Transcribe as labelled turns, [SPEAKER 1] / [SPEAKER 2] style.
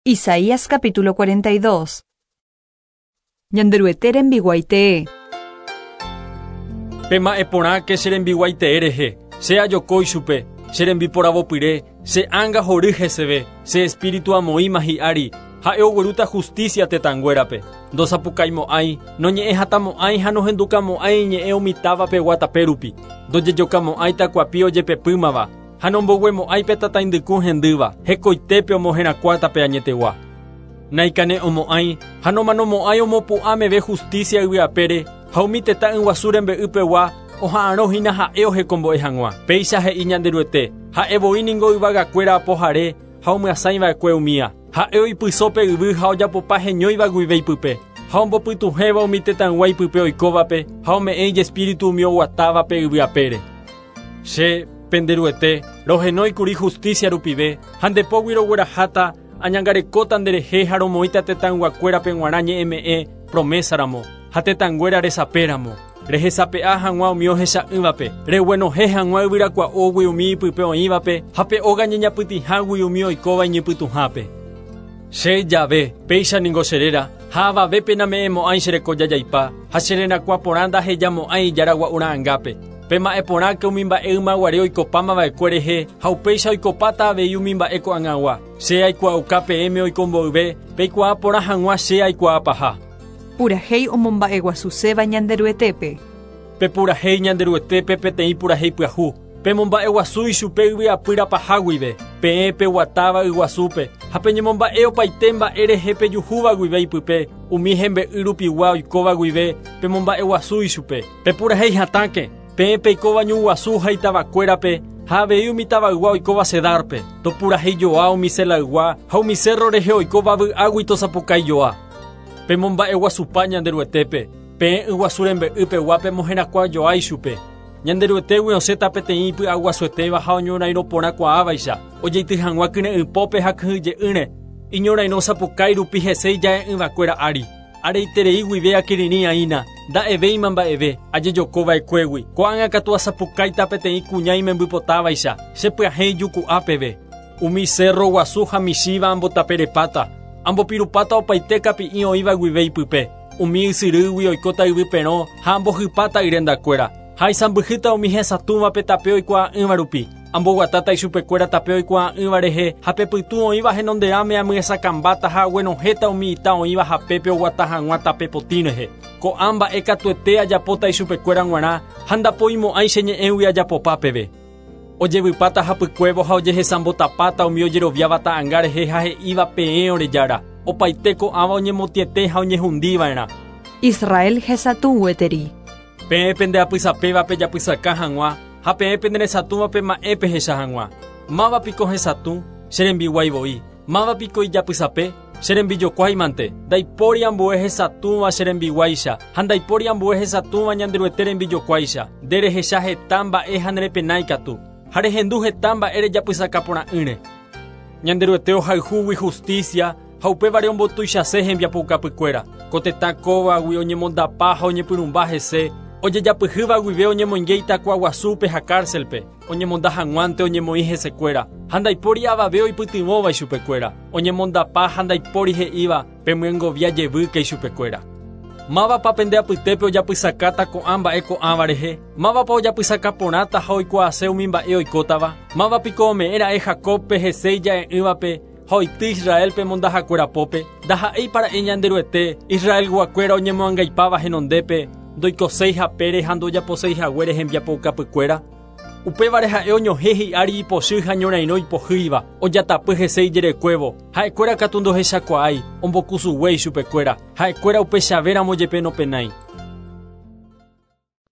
[SPEAKER 1] Isaías capítulo 42. Ñanderuete rembiguái tee.
[SPEAKER 2] Pema'ẽ porãke che rembiguái tee rehe, che ajoko ichupe, che rembiporavopyre, che ánga hory heseve, che espíritu amoĩma hi'ári, ha'e oguerúta justicia tetãnguérape. Ndosapukaimo'ãi, noñe'ẽhatamo'ãi ha nohendukamo'ãi iñe'ẽ umi táva pegua tape rupi. Ndojejokamo'ãi takuapi ojepepýmava, Ha nomboguemo'ãi pe tataindyku hendýva, hekoitépe omoherakuãta pe añetegua. Naikane'õmo'ãi ha nomanomo'ãi omopu'ã meve justísia yvy apére ha umi tetã yguasu rembe'y pegua oha'arõ hína ha'e ohekombo'e hag̃ua. Péicha he'i Ñanderuete, Ha'e voi ningo yvagakuéra apohare ha omyasãi va'ekue umía. Ha'e oipyso pe yvy ha ojapopa heñóiva guive ipype, ha ombopytuhẽva umi tetãygua ipype oikóvape ha ome'ẽ ijespíritu umi oguatávape yvy apére. Che, pende Ruete, rohenói kuri justícia rupive, ha nde pógui rogueraháta, añangarekóta nderehe ha romoĩta tetãyguakuérape g̃uarã ñe'ẽme'ẽ, promesa ramo, ha tetãnguéra resape ramo, rehesape'a hag̃ua umi ohecha'ỹvape, reguenohẽ hag̃ua yvyrakua'ógui umi ipype oĩvape ha pe óga ñeñapytĩhágui umi oikóva iñypytũhápe. Che, Jahve, péicha ningo che réra, ha avavépe name'ẽmo'ãi che reko jajaipa, ha che rerakuã porã ndahejamo'ãi ijára gua'u ra'angápe. Pema'ẽ porãke umi mba'e ymaguare oikopáma va'ekue rehe ha upéicha oikopáta avei umi mba'e ko'ag̃agua. Che aikuaauka peẽme oiko mboyve, peikuaa porã hag̃ua che aikuaapaha.
[SPEAKER 1] Purahéi omomba'eguasuséva Ñanderuetépe.
[SPEAKER 2] Pepurahéi Ñanderuetépe peteĩ purahéi pyahu, pemomba'eguasu ichupe yvy apýra paha guive, peẽ peguatáva yguasúpe, ha peñemomba'e opaite mba'e rehe pejuhúva guive ipype, umi hembe'y rupigua oikóva guive, pemomba'eguasu ichupe. Pepurahéi hatãke, peẽ peikóva ñu guasu ha itavakuérape, ha avei umi tavaygua oikóva Cedárpe, topurahéi joa umi Selaygua ha umi cérro rehe oikóva vy'águi tosapukái joa. Pemomba'eguasupa Ñanderuetépe, peẽ yguasu rembe'y pegua pemoherakuã joa ichupe. Ñanderuetégui osẽta peteĩ ipy'aguasuetéva ha oñorairõ porã kuaávaicha, ojeity hag̃ua kyre'ỹpópe ha kyhyje'ỹre, iñorairõ sapukái rupi hese ija'e'ỹvakuéra ári. Areiterei guive akirirĩ aína, nda'evéima mba'eve, ajejoko va'ekuégui. Ko'ág̃a katu asapukáita peteĩ kuña imembypotávaicha, che pyahẽ ijuku'a peve. Umi sérro guasu ha michĩva ambotaperepáta, ambopirupáta opaite kapi'i oĩva guive ipype. Umi ysyrýgui oikóta yvy perõ ha ambohypáta yrendakuéra. Ha aisãmbyhýta umi hesatũvape tape oikuaa'ỹva rupi. Amboguatáta ichupekuéra tape oikuaa'ỹva rehe ha pe pytũ oĩva henonderãme amyesakãmbáta ha aguenohẽta umi ita oĩva hapépe oguata hag̃ua tape potĩ rehe. Ko'ã mba'e katuete ajapóta ichupekuéra g̃uarã ha ndapoimo'ãi che ñe'ẽgui ajapopa peve. Ojevypáta hapykuévo ha ojehesambotapáta umi ojeroviáva ta'anga rehe ha he'íva peẽ ore Jára, opaite ko'ãva oñemotĩete ha oñehundiva'erã.
[SPEAKER 1] Israel hesatũ gueteri.
[SPEAKER 2] Peẽ pende apysapéva pejapysaka hag̃ua ha peẽ pende resatũva pema'ẽ pehecha hag̃ua. Máva piko hesatũ? Che rembiguái voi. Máva piko ijapysape? Che rembijokuái mante. Ndaipóri ambue hesatũva che rembiguáicha, ha ndaipóri ambue hesatũva Ñanderuete rembijokuáicha. Nde rehecha heta mba'e ha nerepenái katu, ha rehendu heta mba'e rejapysaka porã'ỹre. Ñanderuete ohayhúgui hustísia ha upévare ombotuichase hembiapoukapykuéra. Ko tetã kóvagui oñemondapa ha oñepyrũmba hese, ojejapyhýva guive oñemoinge itakua guasúpe ha kárselpe, oñemonda hag̃uánte oñemoĩ hesekuéra, ha ndaipóri avave oipytyvõva ichupekuéra, oñemondapa ha ndaipóri he'íva, Pemyengovia jevýke ichupekuéra. Mávapa pende apytépe ojapysakáta ko'ã mba'e ko'ãva rehe? Mávapa ojapysaka porãta ha oikuaase umi mba'e oikótava? Máva piko ome'ẽ ra'e Jacóbpe hese ija'e'ỹvape ha oity Israélpe mondahakuéra pópe? Ndaha'éipa ra'e Ñanderuete, Israelguakuéra oñemoangaipáva henondépe, ndoikoséi hapére ha ndojaposéi haguére hembiapoukapykuéra? Upévare ha'e oñohẽ hi'ári ipochy ha ñorairõ ipohýiva, ojatapy hese ijerekuévo. Ha'ekuéra katu ndohechakuaái, ombokusugue ichupekuéra. Ha'ekuéra upechavéramo jepe nopenái.